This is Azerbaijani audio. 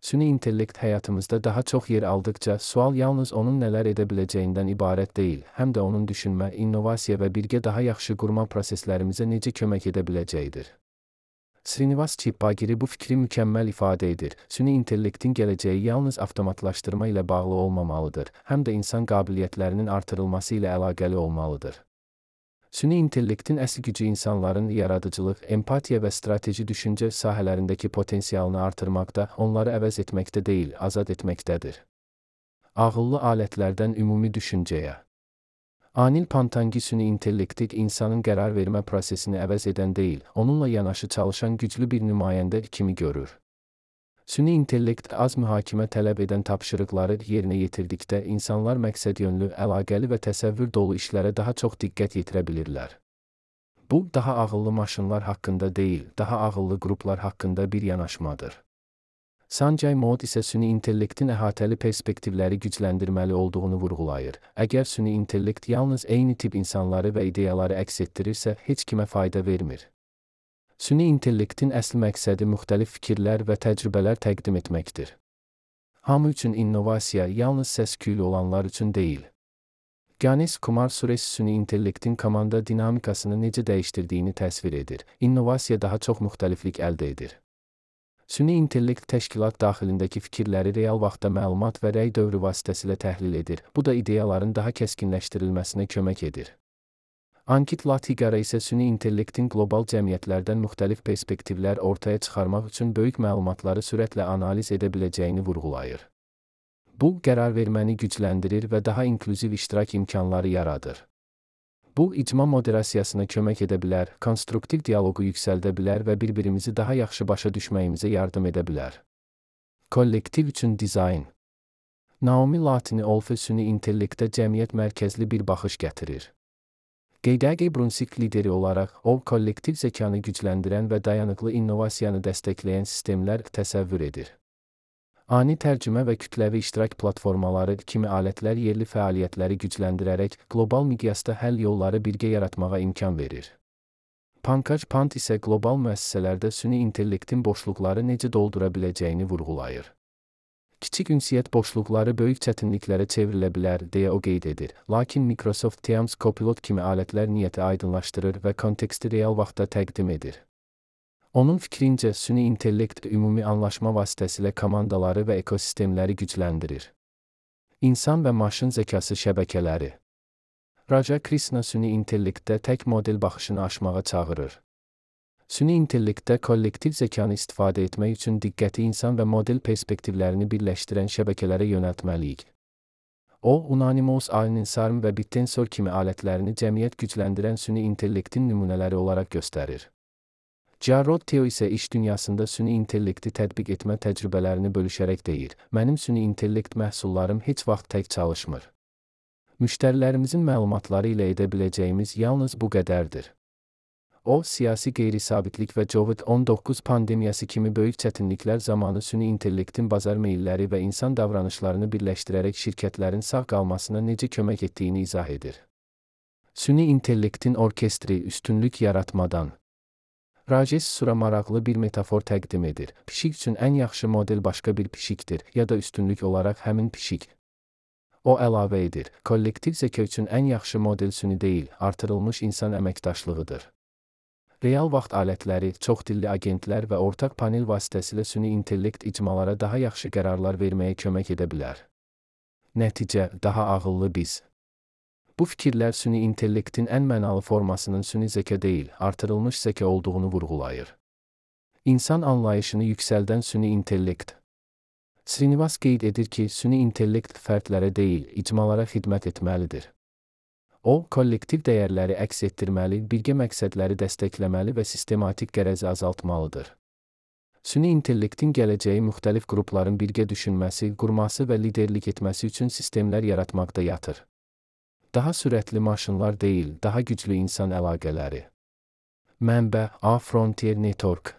Süni intellekt həyatımızda daha çox yer aldıkca, sual yalnız onun nələr edə biləcəyindən ibarət deyil, həm də onun düşünmə, innovasiya və birgə daha yaxşı qurma proseslərimizə necə kömək edə biləcəyidir. Srinivas Chippagiri bu fikri mükəmməl ifadə edir. Süni intellektin gələcəyi yalnız avtomatlaşdırma ilə bağlı olmamalıdır, həm də insan qabiliyyətlərinin artırılması ilə əlaqəli olmalıdır. Süni intellektin əsl gücü insanların yaradıcılıq, empatiya və strateji düşüncə sahələrindəki potensialını artırmaqda, onları əvəz etməkdə deyil, azad etməkdədir. Ağıllı alətlərdən ümumi düşüncəyə. Anil Pantangi süni intellekti insanın qərar vermə prosesini əvəz edən deyil, onunla yanaşı çalışan güclü bir nümayəndə kimi görür. Süni intellekt az mühakimə tələb edən tapşırıqları yerinə yetirdikdə insanlar məqsədyönlü, əlaqəli və təsəvvür dolu işlərə daha çox diqqət yetirə bilirlər. Bu, daha ağıllı maşınlar haqqında deyil, daha ağıllı qruplar haqqında bir yanaşmadır. Sanjay Mode isə süni intellektin əhatəli perspektivləri gücləndirməli olduğunu vurğulayır. Əgər süni intellekt yalnız eyni tip insanları və ideyaları əks etdirirsə, heç kimə fayda vermir. Süni intellektin əsl məqsədi müxtəlif fikirlər və təcrübələr təqdim etməkdir. Hamı üçün innovasiya yalnız səs-küylü olanlar üçün deyil. Ganesh Kumar Suresh süni intellektin komanda dinamikasını necə dəyişdirdiyini təsvir edir. İnnovasiya daha çox müxtəliflik əldə edir. Süni intellekt təşkilat daxilindəki fikirləri real vaxtda məlumat və rəy dövrü vasitəsilə təhlil edir. Bu da ideyaların daha kəskinləşdirilməsinə kömək edir. Ankit Latigara isə süni intellektin qlobal cəmiyyətlərdən müxtəlif perspektivlər ortaya çıxarmaq üçün böyük məlumatları sürətlə analiz edə biləcəyini vurğulayır. Bu, qərar verməni gücləndirir və daha inklüziv iştirak imkanları yaradır. Bu, icma moderasiyasına kömək edə bilər, konstruktiv dialoqu yüksəldə bilər və bir-birimizi daha yaxşı başa düşməyimizə yardım edə bilər. Kollektiv üçün dizayn. Naomi Latini-Olfe süni intellektə cəmiyyət mərkəzli bir baxış gətirir. Geydəgi Brunswick lideri olaraq, o, kollektiv zəkanı gücləndirən və dayanıqlı innovasiyanı dəstəkləyən sistemlər təsəvvür edir. Ani tərcümə və kütləvi iştirak platformaları kimi alətlər yerli fəaliyyətləri gücləndirərək, qlobal miqyasda həll yolları birgə yaratmağa imkan verir. Pankaj Pant isə qlobal müəssisələrdə süni intellektin boşluqları necə doldura biləcəyini vurğulayır. Kiçik ünsiyyət boşluqları böyük çətinliklərə çevrilə bilər, deyə o qeyd edir. Lakin Microsoft Teams Copilot kimi alətlər niyyəti aydınlaşdırır və konteksti real vaxtda təqdim edir. Onun fikrincə, süni intellekt ümumi anlaşma vasitəsilə komandaları və ekosistemləri gücləndirir. İnsan və maşın zəkası şəbəkələri. Raja Krishna süni intellektdə tək model baxışını aşmağa çağırır. Süni intellektdə kollektiv zəkanı istifadə etmək üçün diqqəti insan və model perspektivlərini birləşdirən şəbəkələrə yönəltməliyik. O, Unanimous Al-Ninsarm və Bittensor kimi alətlərini cəmiyyət gücləndirən süni intellektin nümunələri olaraq göstərir. Jarrod Teo isə iş dünyasında süni intellekti tətbiq etmə təcrübələrini bölüşərək deyir: "Mənim süni intellekt məhsullarım heç vaxt tək çalışmır. Müştərilərimizin məlumatları ilə edə biləcəyimiz yalnız bu qədərdir." O, siyasi qeyri-sabitlik və COVID-19 pandemiyası kimi böyük çətinliklər zamanı süni intellektin bazar meylləri və insan davranışlarını birləşdirərək şirkətlərin sağ qalmasına necə kömək etdiyini izah edir. Süni intellektin orkestri üstünlük yaratmadan. Rajesh Sura maraqlı bir metafor təqdim edir. Pişik üçün ən yaxşı model başqa bir pişikdir, ya da üstünlük olaraq həmin pişik. O əlavə edir: kollektiv zəka üçün ən yaxşı model süni deyil, artırılmış insan əməkdaşlığıdır. Real vaxt alətləri, çoxdilli agentlər və ortaq panel vasitəsilə süni intellekt icmalara daha yaxşı qərarlar verməyə kömək edə bilər. Nəticə, daha ağıllı biz. Bu fikirlər süni intellektin ən mənalı formasının süni zəka deyil, artırılmış zəka olduğunu vurğulayır. İnsan anlayışını yüksəldən süni intellekt. Srinivas qeyd edir ki, süni intellekt fərdlərə deyil, icmalara xidmət etməlidir. O, kollektiv dəyərləri əks etdirməli, birgə məqsədləri dəstəkləməli və sistematik qərəzi azaltmalıdır. Süni intellektin gələcəyi müxtəlif qrupların birgə düşünməsi, qurması və liderlik etməsi üçün sistemlər yaratmaqda yatır. Daha sürətli maşınlar deyil, daha güclü insan əlaqələri. Mənbə: A Frontier Network.